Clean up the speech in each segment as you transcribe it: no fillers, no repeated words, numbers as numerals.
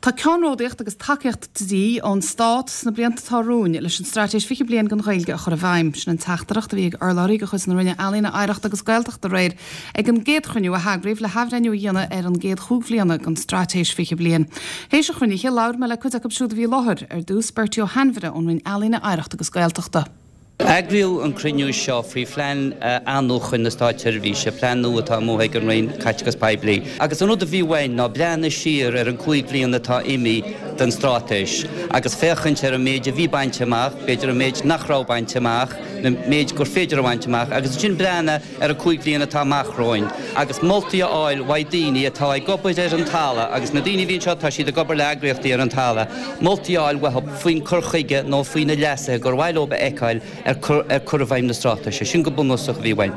Tá ceannródaíocht agus tacaíocht de dhíth ón Stát sna blianta atá romhainn leis an Straitéis 20 Bliain don Ghaeilge a chur i bhfeidhm. Sin an teachtaireacht a bhí ag urlabhraí de chuid na Roinne Ealaíon, Oidhreachta agus Gaeltachta aréir ag an gcéad chruinniú a heagraíodh le hathbhreithniú a dhéanamh ar an gcéad chúig bhliana den Straitéis 20 Bliain. Théis an chruinnithe, labhair mé le cuid acu siúd a bhí i láthair, ar dtús Bertie Ó hAinmhire ón Roinn Ealaíon, Oidhreachta agus Gaeltachta. Eagraíodh an cruinniú seo faoi phlean athnuachan na státseirbhíse, plean nua atá amuigh ag an Roinn Caiteachais Poiblí. Agus an rud a bhí uainn ná breathnú siar ar an gcúig bhliain atá imithe den straitéis agus féachaint ar an méid a bhí bainte amach, b'fhéidir an méid nach raibh bainte amach, an méid gur féidir a bhaint amach agus ansin breathnú ar an gcúig bhliain atá amach romhainn agus moltaí a fháil uaidh daoine atá ag obair ar an talamh agus na daoine a bhí anseo tá siad ag obair le eagraíochtaí ar an talamh, moltaí a fháil uathu faoin cur chuige nó faoi na leasuithe gur mhaith leo a fheiceáil ar cur i bhfeidhm na straitéise. Sin go bunúsach a bhí uainn.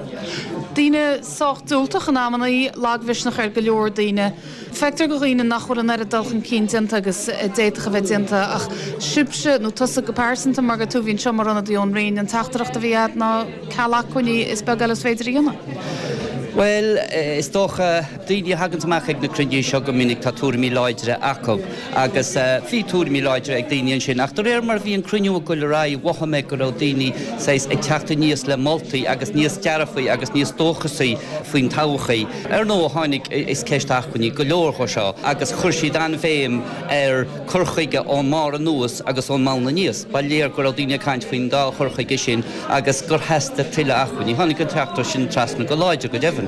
Daoine sách diúltach in amannaí, lagmhisneach ar go leor daoine. Feictear do dhaoine nach bhfuil an oiread dul chun cinn déanta agus a d'fhéadfadh a bheith déanta ach sibhse, nó tusa go pearsanta mar gur tú a bhí anseo mar ionadaí ón Roinn, an teachtaireacht a bhí agat ná ceal acmhainní is beag eile is féidir a dhéanamh. Bhuel, is dócha, daoine a thaganns amach ag na cruinnithe seo go minic tá tuairimí láidre acu agus bhí tuairimí láidre ag daoine ansin ach de réir mar a bhí an cruinniú ag goil ar aghaidh mhothaigh mé go raibh daoine saghas ag teacht aníos le moltaí agus níos dearfaí agus níos dóchasaí faoin todhchaí. Ar ndóigh tháinig, is ceist acmhainní go leor dhó seo agus chuir siad an-bhéim ar cur chuige ón mbarr anuas agus ón mbonn aníos. Ba léir go raibh daoine ag caint faoin dá chur chuige sin agus gur theastaigh tuilleadh acmhainní. Tháinig an teachtaireacht sin trasna go láidir, go deimhin.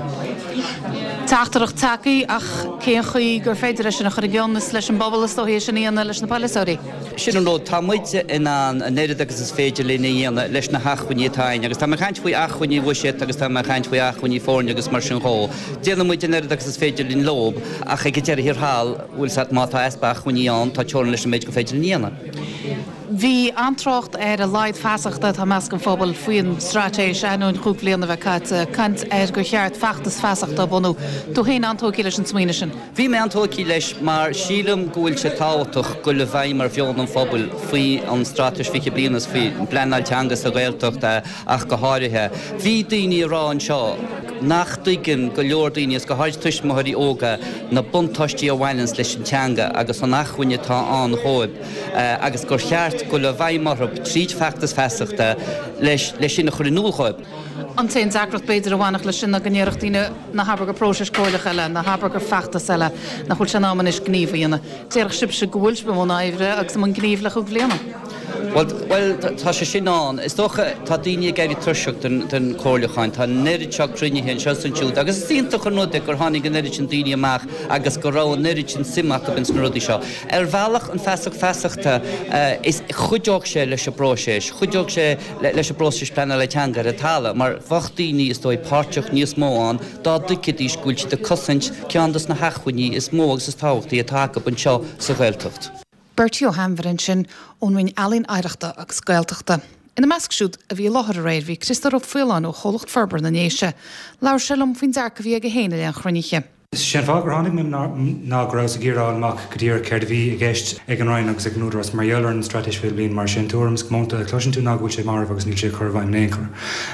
Teachtaireacht tagtha ach cén chaoi gur féidir é sin a chur i gcion? Is leis an bpobal is dóichí é sin a dhéanamh, leis na polaiteoirí. Sin an rud, tá muid in ann an oiread agus is féidir linn a dhéanamh leis na hacmhainní atá againn agus tá mé ag caint faoi acmhainní bhuiséid agus tá mé ag caint faoi acmhainní foirne agus mar sin dhó. Déanann muid an oiread agus is féidir linn leob ach ag an deireadh thiar thall, bhfuil 's a't, má tá easpa acmhainní ann, tá teorainn leis an méid gur féidir linn a dhéanamh. Bhí an-trácht ar a laghad feasachta atá i measc an phobail faoin straitéis, ainneoin chúig bhliana a bheith caite, caint ar gur cheart feachtas feasachta a bhunú. Tú féin an-tógtha leis an smaoineamh sin? Bhí mé an-tógtha leis mar sílim go bhfuil sé tábhachtach goil i bhfeidhm ar mheon an phobail faoi an Straitéis 20 Bliain agus faoi bpleanáil teanga sa Ghaeltacht ach go háirithe. Bhí daoine ag rá anseo nach dtuigeann go leor daoine, agus go háirid tuismitheoirí óga, na buntáistí a bhaineanns leis an teanga agus an acmhainn atá ann dhóibh agus gur cheart goil i bhfeidhm orthu tríd feachtas feasachta leis sin a chur in iúl dhóibh. An t-aon deacracht b'fhéidir a bhainfeadh leis sin ná go ndéarfadh daoine ná habair gur próiseas comhairleach eile, ná habair gur feachtas eile, nach bhfuil sé in am anois gníomh a dhéanamh. Déarfadh sibhse go bhfuil sibh i mbun oibre agus i mbun gnímh le chúig bhliana. Bhuel, bhuel, tá sé sin ann. Is dócha, tá daoine ag éirí tuirseach den, den chomhairliúchán. Tá an oiread seo cruinnithe anseo is ansiúd agus is iontach an rud é gur tháinig an oiread sin daoine amach agus go raibh an oiread sin suim acu ins na rudaí seo. Ar bhealach, an feasacht feasachta, is, chuideodh sé leis an bpróiseas, chuideodh sé leis an bpróiseas pleanála teanga ar an talamh mar bheadh daoine, is dóigh, páirteach níos mó ann dá dtuigfidís go bhfuil siad ag cosaint ceann dos na hacmhainní is mó agus is tábhachtaí atá acu anseo sa Ghaeltacht. Bertie Ó hAinmhire ansin ón Roinn Ealaíon Oidhreachta agus Gaeltachta. Ina measc siúd a bhí i láthair aréir bhí Criostóir Ó Faoláin ó Chomhlacht Forbartha na nDéise. Labhair sé liom faoin dearcadh a bhí aige féin i leith an chruinnithe. Is é an fáth gur tháinig mé ná go rabhas ag iarraidh a fháil amach go díreach céard a bhí i gceist ag an Roinn agus ag an Údarás mar gheall ar an Straitéis 20 Bliain mar sé an tuairim is comónta a chloiseann tú ná go bhfuil sé marbh agus níl sé ag cur i bhfeidhm in aon chor.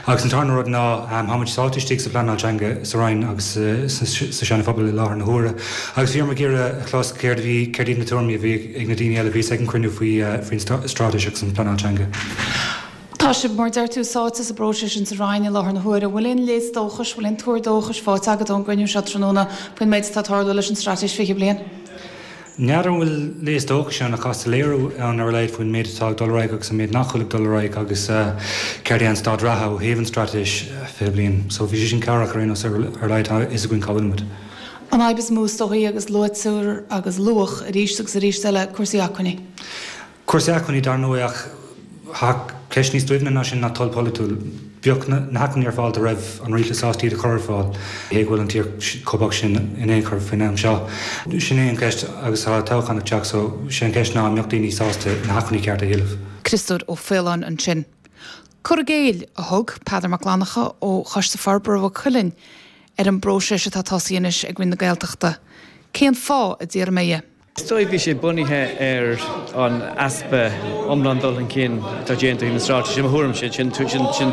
Agus an tarna rud ná tá muid sáite istigh sa phleanáil teanga sa Roinn agus sa Seana Phobal i láthair na huaire agus bhí orm ag iarraidh a chlos céard a bhí, céard iad na tuairimí a bhí ag na daoine eile a bhí ag an cruinniú faoi faoin straitéis agus an phleanáil teanga. Tá sibh, mar a deir tú, sáite sa bpróiseas sin sa Roinn i láthair na huaire. An bhfuil aon léas dóchais, bhfuil aon tuar dóchais faighte agat ón gcruinniú seo tráthnóna faoin méid atá ag tarlú leis an Straitéis 20 Bliain? N'fheadar an bhfuil léas dóchais ann ach tá soiléiriú ann ar a laghad faoin méid atá ag dul ar aghaidh agus an méid nach bhfuil ag dul ar aghaidh agus céard é an staid reatha ó thaobh an Straitéis 20 Bliain. So bhí sé sin cabhrach ar aon nós ar a laghad tá a fhios againn cá bhfuil muid. An fhadhb is mó is dóichí agus luaitear agus luadh arís agus arís eile cúrsaí acmhainní. Cúrsaí acmhainní, dar ndóigh, ach tá ceist níos doimhne ná sin ná toil pholaitiúil. Bheadh na hacmhainní ar fáil dá raibh an rialtas sásta iad a chur ar fáil. Cé go bhfuil an tír chomh bocht sin in aon chor faoin am seo. Sin é an cheist agus tá toghchán ag teacht so sé an cheist ná an mbeadh daoine sásta na hacmhainní cearta a thuilleamh. Criostóir Ó Faoláin ansin. Cur i gcéill a thug Peadar Mac Fhlannchadha ó Choiste Forbartha Mhaigh Cuilinn ar an bpróiseas atá tosaithe anois ag Roinn na Gaeltachta. Cén fáth, a d'iarr mé dhe? Is dóigh bhí sé bunaithe ar an easpa iomlán dul chun cinn atá déanta ó thaobh na straitéise, i mo thuairimse, sin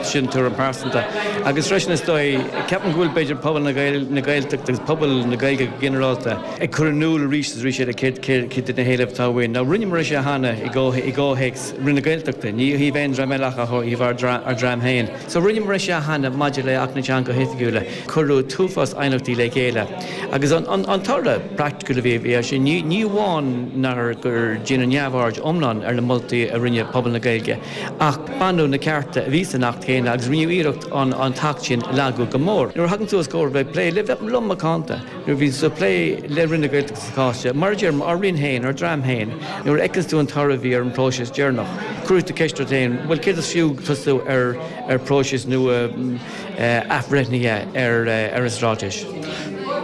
sin tuairim pearsanta. Agus freisin is dóigh, ceapaim go bhfuil b'fhéidir pobal na Gaeltachta agus pobal na Gaeilge go ginearálta ag cur in iúl arís is arís eile céard iad na héilimh atá uainn. Now rinneamar é seo cheana i gcomhthéacs Roinn na Gaeltachta, ní ó thaobh aon dream eile ach ó thaobh ár dream féin. So rinneamar é seo cheana maidir le Acht na dTeangacha Oifigiúla. Cuireadh t-uafás aighneachtaí le chéile agus an toradh praiticiúil a bhí air sin, ní amháin nár gur déanadh neamhaird iomlán ar na moltaí a rinne pobal na Gaeilge ach baineadh na cearta a bhí san Acht chéanna agus rinneadh iarracht an tAcht sin a lagú go mór. Nuair a thagann tú os comhair bheith ag plé le, lom macánta, nuair a bhíonn tú ag plé le Roinn na Gaeltachta sa chás seo, mar a deirim, ár Roinn féin, ár dream féin, nuair a fheiceanns tú an toradh a bhí ar an bpróiseas deireanach, cuirfidh tú ceist ort féin, bhuel céard is fiú tosú ar phróiseas nua, athbhreithnithe ar an straitéis.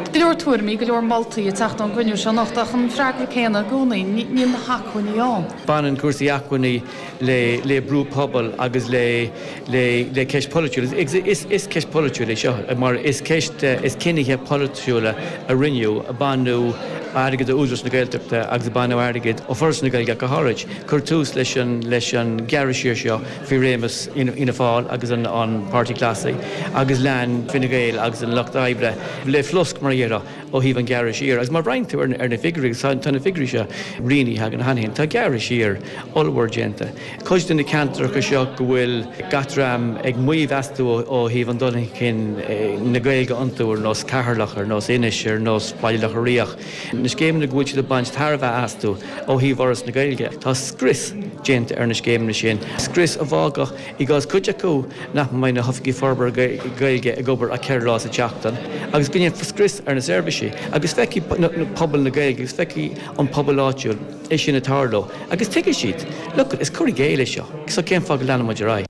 Go leor tuairimí, go leor moltaí ag teacht ón gcruinniú seo anocht ach an freagra céanna i gcónaí, níl na hacmhainní ann. Baineann cúrsaí acmhainní le brú pobail agus le ceist pholaitiúil. Is ceist pholaitiúil é seo mar is ceist, is cinnithe polaitiúla a rinneadh, baineadh airgead ó Údarás na Gaeltachta agus baineadh airgead ó Foras na Gaeilge ach go háirid. Cuireadh tús leis an gearradh siar seo faoi réimeas Fhianna Fáil agus an Páirtí Ghlasaigh agus lean Fine Gael agus an Lucht Oibre le flosc, mar a déarfá, ó thaobh an ghearradh siar. Agus má bhreathnaíonn tú ar na figiúirí, agus tá na figiúirí seo rianaithe againn cheana féin, tá gearradh siar ollmhór déanta. Cuid de na ceantracha seo go bhfuil gach dream ag maíomh astu ó thaobh an dul chun cinn na Gaeilge iontu, ar nós Ceatharlach, ar nós Inis, ar nós Baile Locha Riach, Na scéimeanna go bhfuil siad ag baint tairbhe astu ó thaobh Fhoras na Gaeilge, tá scrios déanta ar na scéimeanna sin, scrios a bhfágfadh, i gcás cuid acu, nach mbeidh na hOifigigh Forbartha Gaeilge ag obair ach 4 lá sa tseachtain agus go ndéanfar scrios ar na seirbhísí agus feicfidh pobal na Gaeilge agus feicfidh an pobal áitiúil é sin ag tarlú agus tuigfidh siad, look, is cur i gcéill é seo, so cén fáth go leanann muid ar aghaidh?